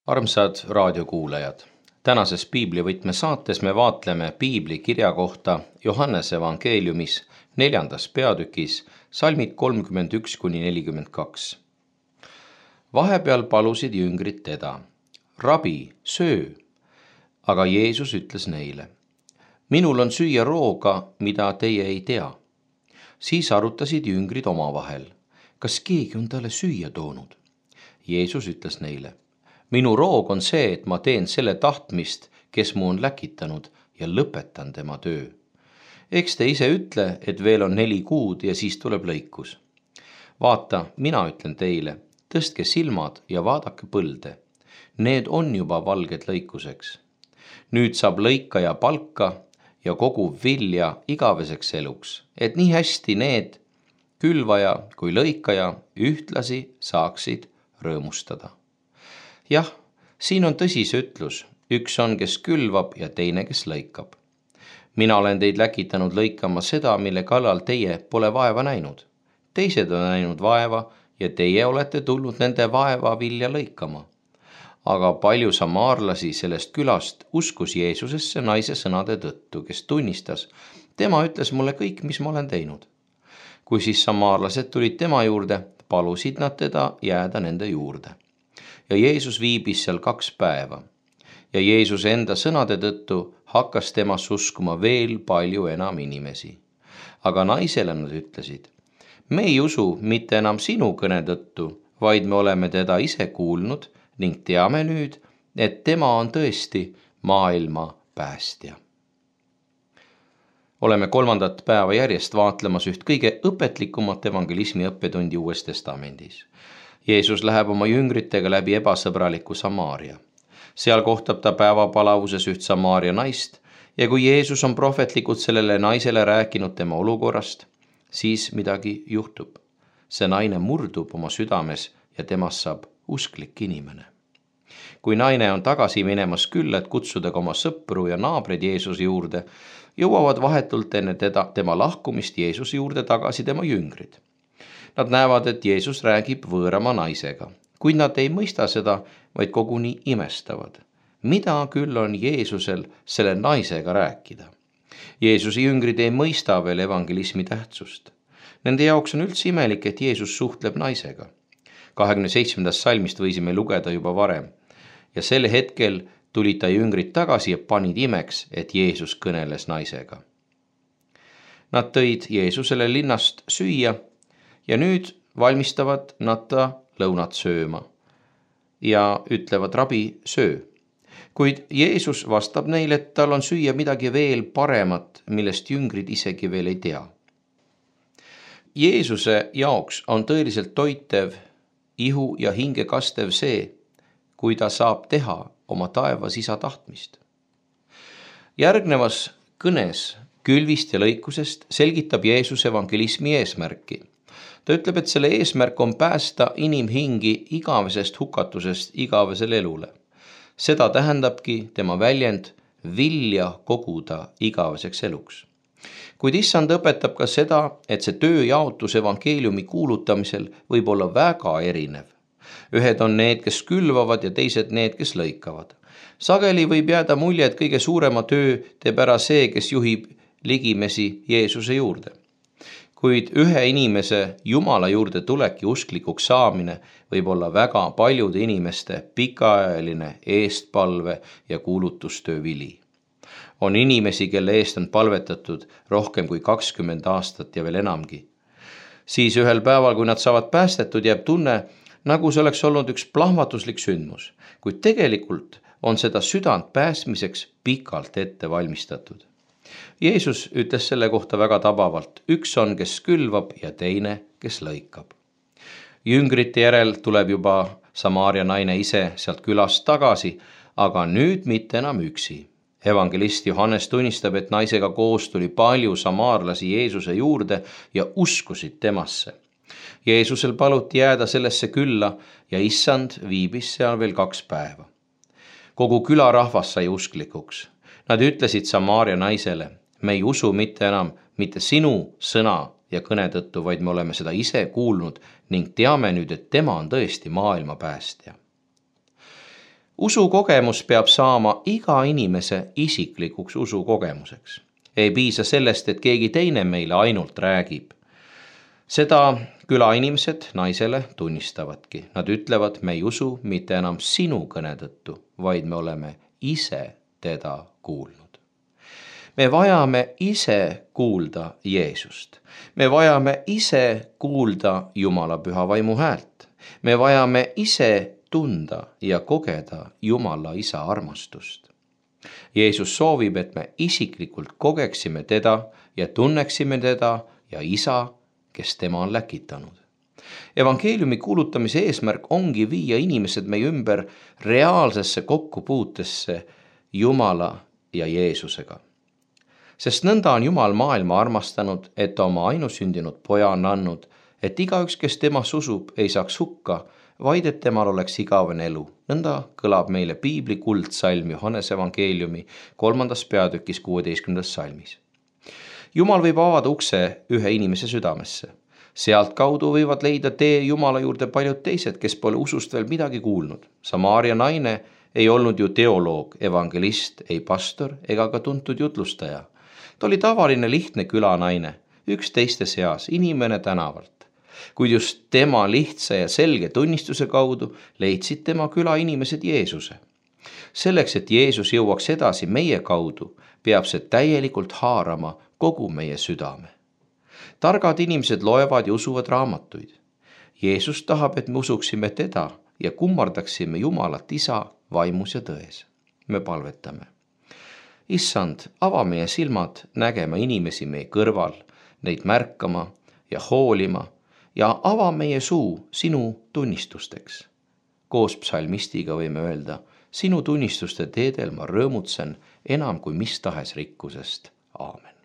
Armsad raadiokuulajad, tänases piiblivõtme saates me vaatleme piibli kirja kohta Johannese evangeeliumis 4. peatükis salmid 31-42. Vahepeal palusid jüngrid teda, rabi, söö, aga Jeesus ütles neile, minul on süüa rooga, mida teie ei tea. Siis arutasid jüngrid omavahel, kas keegi on talle süüa toonud. Jeesus ütles neile, minu roog on see, et ma teen selle tahtmist, kes mu on läkitanud ja lõpetan tema töö. Eks te ise ütle, et veel on 4 kuud ja siis tuleb lõikus. Vaata, mina ütlen teile, tõstke silmad ja vaadake põlde. Need on juba valged lõikuseks. Nüüd saab lõikaja palka ja kogu vilja igaveseks eluks, et nii hästi need, külvaja kui lõikaja, ühtlasi saaksid rõõmustada. Jah, siin on tõsi see ütlus, üks on, kes külvab ja teine, kes lõikab. Mina olen teid läkitanud lõikama seda, mille kallal teie pole vaeva näinud. Teised on näinud vaeva ja teie olete tulnud nende vaeva vilja lõikama. Aga palju samaarlasi sellest külast uskus Jeesusesse naise sõnade tõttu, kes tunnistas, tema ütles mulle kõik, mis ma olen teinud. Kui siis samaarlased tulid tema juurde, palusid nad teda jääda nende juurde. Ja Jeesus viibis seal 2 päeva. Ja Jeesuse enda sõnade tõttu hakkas temas uskuma veel palju enam inimesi. Aga naisele nad ütlesid, me ei usu mitte enam sinu kõne tõttu, vaid me oleme teda ise kuulnud ning teame nüüd, et tema on tõesti maailma päästja. Oleme 3. päeva järjest vaatlemas üht kõige õpetlikumat evangelismi õppetundi Uues Testamendis. Jeesus läheb oma jüngritega läbi ebasõbraliku Samaaria. Seal kohtab ta päevapalavuses üht Samaaria naist ja kui Jeesus on prohvetlikult sellele naisele rääkinud tema olukorrast, siis midagi juhtub. See naine murdub oma südames ja temast saab usklik inimene. Kui naine on tagasi minemas külla, et kutsuda ka oma sõpru ja naabreid Jeesuse juurde, jõuavad vahetult enne tema lahkumist Jeesuse juurde tagasi tema jüngrid. Nad näevad, et Jeesus räägib võõrama naisega, kuid nad ei mõista seda, vaid koguni imestavad. Mida küll on Jeesusel selle naisega rääkida? Jeesuse jüngrid ei mõista veel evangelismi tähtsust. Nende jaoks on üldse imelik, et Jeesus suhtleb naisega. 27. salmist võisime lugeda juba varem. Ja sel hetkel tulid ta jüngrid tagasi ja panid imeks, et Jeesus kõneles naisega. Nad tõid Jeesusele linnast süüa ja nüüd valmistavad nad ta lõunat sööma ja ütlevad, rabi, söö. Kuid Jeesus vastab neile, et tal on süüa midagi veel paremat, millest jüngrid isegi veel ei tea. Jeesuse jaoks on tõeliselt toitev, ihu ja hinge kastev see, kui ta saab teha oma taevas isa tahtmist. Järgnevas kõnes külvist ja lõikusest selgitab Jeesus evangelismi eesmärki. Ta ütleb, et selle eesmärk on päästa inimhingi igavesest hukatusest igavesele elule. Seda tähendabki tema väljend vilja koguda igaveseks eluks. Kuid issand õpetab ka seda, et see tööjaotus evangeeliumi kuulutamisel võib olla väga erinev. Ühed on need, kes külvavad ja teised need, kes lõikavad. Sageli võib jääda mulje, et kõige suurema töö teeb ära see, kes juhib ligimesi Jeesuse juurde. Kuid ühe inimese Jumala juurde tulek ja usklikuks saamine võib olla väga paljude inimeste pikaajaline eestpalve ja kuulutustöö vili. On inimesi, kelle eest on palvetatud rohkem kui 20 aastat ja veel enamgi. Siis ühel päeval, kui nad saavad päästetud, jääb tunne, nagu see oleks olnud üks plahvatuslik sündmus, kuid tegelikult on seda südant päästmiseks pikalt ette valmistatud. Jeesus ütles selle kohta väga tabavalt, üks on, kes külvab ja teine, kes lõikab. Jüngrite järel tuleb juba Samaaria naine ise sealt külast tagasi, aga nüüd mitte enam üksi. Evangelist Johannes tunnistab, et naisega koos tuli palju samaarlasi Jeesuse juurde ja uskusid temasse. Jeesusel paluti jääda sellesse külla ja issand viibis seal veel 2 päeva. Kogu külarahvas sai usklikuks. Nad ütlesid Samaaria naisele, me ei usu mitte enam mitte sinu sõna ja kõne tõttu, vaid me oleme seda ise kuulnud ning teame nüüd, et tema on tõesti maailma päästja. Usukogemus peab saama iga inimese isiklikuks usukogemuseks. Ei piisa sellest, et keegi teine meile ainult räägib. Seda külainimesed naisele tunnistavadki. Nad ütlevad, me ei usu mitte enam sinu kõne tõttu, vaid me oleme ise teda kuulnud. Me vajame ise kuulda Jeesust. Me vajame ise kuulda Jumala püha vaimu häält. Me vajame ise tunda ja kogeda Jumala isa armastust. Jeesus soovib, et me isiklikult kogeksime teda ja tunneksime teda ja isa, kes tema on läkitanud. Evangeeliumi kuulutamise eesmärk ongi viia inimesed meie ümber reaalsesse kokkupuutesse Jumala ja Jeesusega. Sest nõnda on Jumal maailma armastanud, et oma ainusündinud poja on andnud, et igaüks, kes temas usub, ei saaks hukka, vaid et temal oleks igavene elu. Nõnda kõlab meile piibli kuldsalm Johannese evangeeliumi 3. peatükis 16. salmis. Jumal võib avada ukse ühe inimese südamesse. Sealt kaudu võivad leida tee Jumala juurde paljud teised, kes pole usust veel midagi kuulnud. Samaaria naine ei olnud ju teoloog, evangelist, ei pastor ega ka tuntud jutlustaja. Ta oli tavaline lihtne külanaine, üks teiste seas, inimene tänavalt. Kuid just tema lihtsa ja selge tunnistuse kaudu leidsid tema külainimesed Jeesuse. Selleks, et Jeesus jõuaks edasi meie kaudu, peab see täielikult haarama kogu meie südame. Targad inimesed loevad ja usuvad raamatuid. Jeesus tahab, et me usuksime teda ja kummardaksime Jumalat isa vaimus ja tões. Me palvetame. Issand, ava meie silmad nägema inimesi meie kõrval, neid märkama ja hoolima ja ava meie suu sinu tunnistusteks. Koos psalmistiga võime öelda, sinu tunnistuste teedel ma rõõmutsen enam kui mis tahes rikkusest. Aamen.